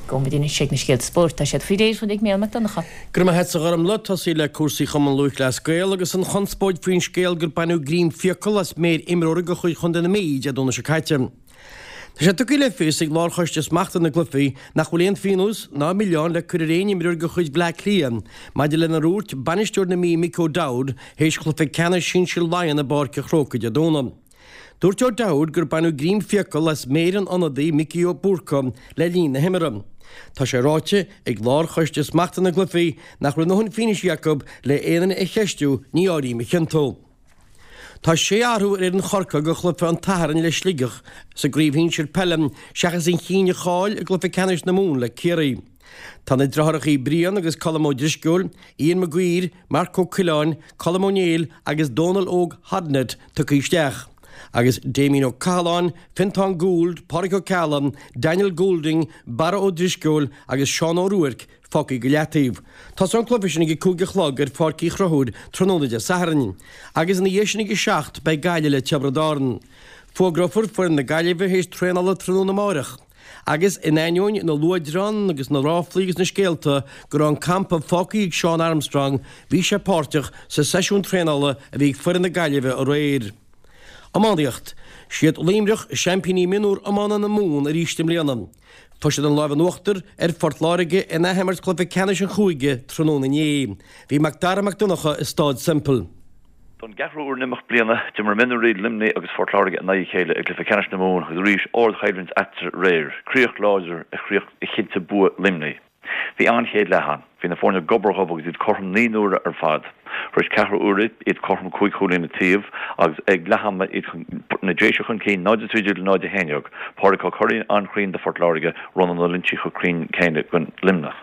Gabhfaidh muid anois ag na scéalta spóirt. Tá siad faoi réir ag Mícheál Mac Donncha. Go raibh maith agatsa a Ghormlaith. Tosaí le cúrsaí Chumann Lúthchleas Gael agus an chonspóid faoin scéal gur baineadh greim fiacal as méir imreora de chuid Chontae na Mí Dé Domhnaigh seo caite. Tá sé tugtha le fios ag Lárchoiste Smachta na gCluichí nach bhfuil aon phionós ná milleán le cur ar aon imreoir de chuid Bhleá Cliath maidir lenar dhúirt bainisteoir na Mí Mick O'Dowd théis chluiche ceannais sinsir Laighean i bPáirc an Chrócaigh Dé Domhnaigh. Dúirt O'Dowd gur baineadh greim fiacal as méir an ionadaí Mickey Ó Búrca le linn na himeartha. Tá sé ráite ag Lárchoiste Smachta na gCluichí nach raibh a ndóthain fianaise acu le aon duine a cheistiú, ní áirím a chiontú. Tá sé athrú ar fhoireann Chorcaí do chluiche an tSathairn le Sligeach sa gcraobh shinsir peile seachas an cinn a chaill i gcluiche ceannais na Mumhan le Ciarraí. Tá na deartháireacha Brian agus Colm Ó Drisceoil, Ian Maguire, Marc Ó Coileáin, Colm Ó Néill agus Dónal Óg Hodnett tugtha isteach agus Damien Ó Cathaláin, Fintán Gould, Pádraic Ó Ceallaigh, Daniel Goulding, Barra Ó Drisceoil agus Seán Ó Ruairc fágtha go leataobh. Tosóidh an cluiche sin ag a 5 a chlog ar Pháirc Uí Chonchúir tráthnóna Dé Sathairn. Agus ina dhiaidh sin ag a 7 beidh Gaillimh le Tiobraid Árann. Fógrófar foireann na Gaillimhe théis traenála tráthnóna amáireach. Agus in ainneoin na luaidreán agus na ráflaí agus na scéalta go raibh an campa fágtha ag Sean Armstrong bhí sé páirteach sa seisiún traenála a bhí ag foireann na Gaillimhe aréir. Iománaíocht. Siad Luimneach seaimpíní mionúr iomána na Mumhan arís i mbliana. Fuair siad an lámh in uachtar ar Phort Láirge in athimirt chluiche ceannais an chúige tráthnóna inné. Bhí Macdara Mac Donncha i Stáid Semple. Don gceathrú uair in imeacht bliana, d'imir mionúirí Luimnigh agus Phort Láirge in aghaidh a chéile i gcluiche ceannais na Mumhan agus arís ardchoimhlint eatarthu aréir. Críoch láidir a chinntigh bua Luimnigh. Bhí an-chéad leath ann. Bhí na foirne gobar dhubh agus iad cothrom 9 n-uaire ar fad. Tar éis ceathrú uaire, iad cothrom cúig chúilín an taobh agus ag leath ama iad na Déise chun cinn 0-13 le 0-11. Pádraig Ó Curraoin an-chruinn do Phort Láirge, Rónán Ó Loinsigh chomh cruinn céanna don Luimneach.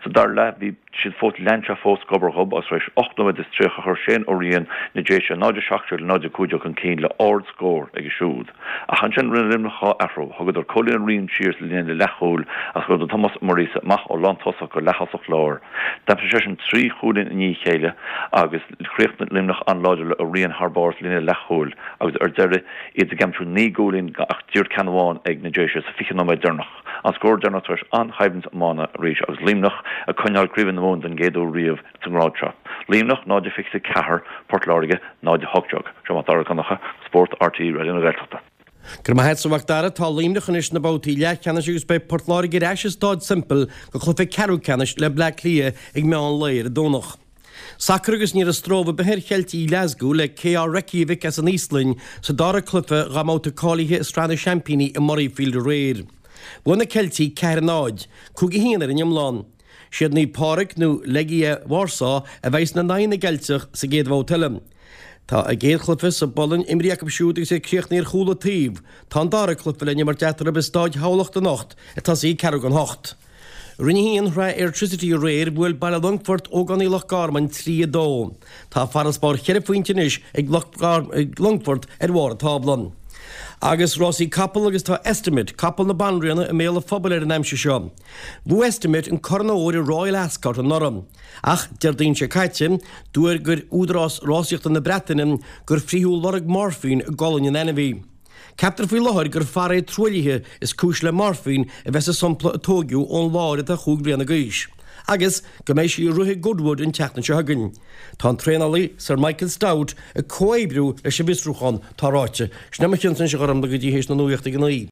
Sa dara leath bhí siad fós lean sé fós gobar dhubh agus tar éis 8 nóiméad is 30 chuir Shane Ó Riain na Déise 0-17 le 0-15 chun cinn le ard-scór aige siúd. Ach ansin rinne Luimneach 2 athrú, thugadar Cóilín Ó Riain siar sa líne leathchúil agus chuireadar Tomás Ó Muiríosa amach ó lántosach go leath-thosach láir. D'aimsigh seisean 3 chúilín i ndiaidh a chéile agus chríochnaigh Luimneach an-láidir le Ó Riain thar barr sa líne leathchúil agus ar deireadh iad ag aimsiú 9 gcúilín ach díreach ceann amháin ag na Déise sa 20 nóiméad deireanach. An scór deireanach tar éis an-choimhlint iomána arís agus Luimneach ag coinneáil Craobh na Mumhan den gcéad uair riamh sa ngrád seo. Luimneach 0-24, Port Láirge 0-18. Seo Mac Dara Mac Donncha, Spórt RTÉ Raidió na Gaeltachta. Go raibh maith agat, a Mhac Dara. Tá Luimneach anois sna babhtaí leathcheannais agus beidh Port Láirge ar ais i Stáid Semple do chluiche ceathrú ceannais le Bleá Cliath ag meán lae ar an Domhnach. Sacar agus ní raibh stró ar bith ar Cheiltigh Ghlaschú le KR Reykjavik as an Íoslainn sa dara cluiche dá mbabhta cáilithe i Sraith na Seaimpíní i Murrayfield aréir. Bhuaigh na Ceiltigh 4-0, 5-1 ar an iomlán. Siad Naomh Pádraig nó Legia Warsaw a bheidh in aghaidh na gCeilteach sa gcéad bhabhta eile. Tá a gcéad chluiche sa bPolainn imrithe acu siúd agus iad críochnaithe ar chúl an taobh. Tá an dara cluiche le n-imirt eatarthu i Stáid Thamhlacht anocht ag tosaí ag ceathrú don hocht. Roinn 1 Shraith Airtricity aréir, bhuail Baile Longfoirt Ógánaigh Loch Garman 3, 2. Tá farasbarr cheithre phointe anois ag Longfort ar bharr an tábla. Agus rásaí capall agus tá Estimate, capall na banríona, i mbéal an phobail ar an aimsir seo. Bhuaigh Estimate an Corn Óir i Royal Ascot anuraidh. Ach, Déardaoin seo caite, d'fhógair Údarás Rásaíochta na Breataine gur frítheadh lorg moirfín i gcolainn an ainmhí. Ceaptar faoi láthair gur farae truaillithe is cúis le moirfín a bheith sa sampla a tóigeadh ón láir atá chúig bliana d'aois, agus go mbeidh sí ag rith i Goodwood an tseachtain seo chugainn. Tá an traenálaí, Sir Michael Stoute, ag comhoibriú leis an bhfiosrúchán, tá ráite. Sin é mo chionn-sa anois a Ghormlaith go dtí théis na nuachta ag a naoi.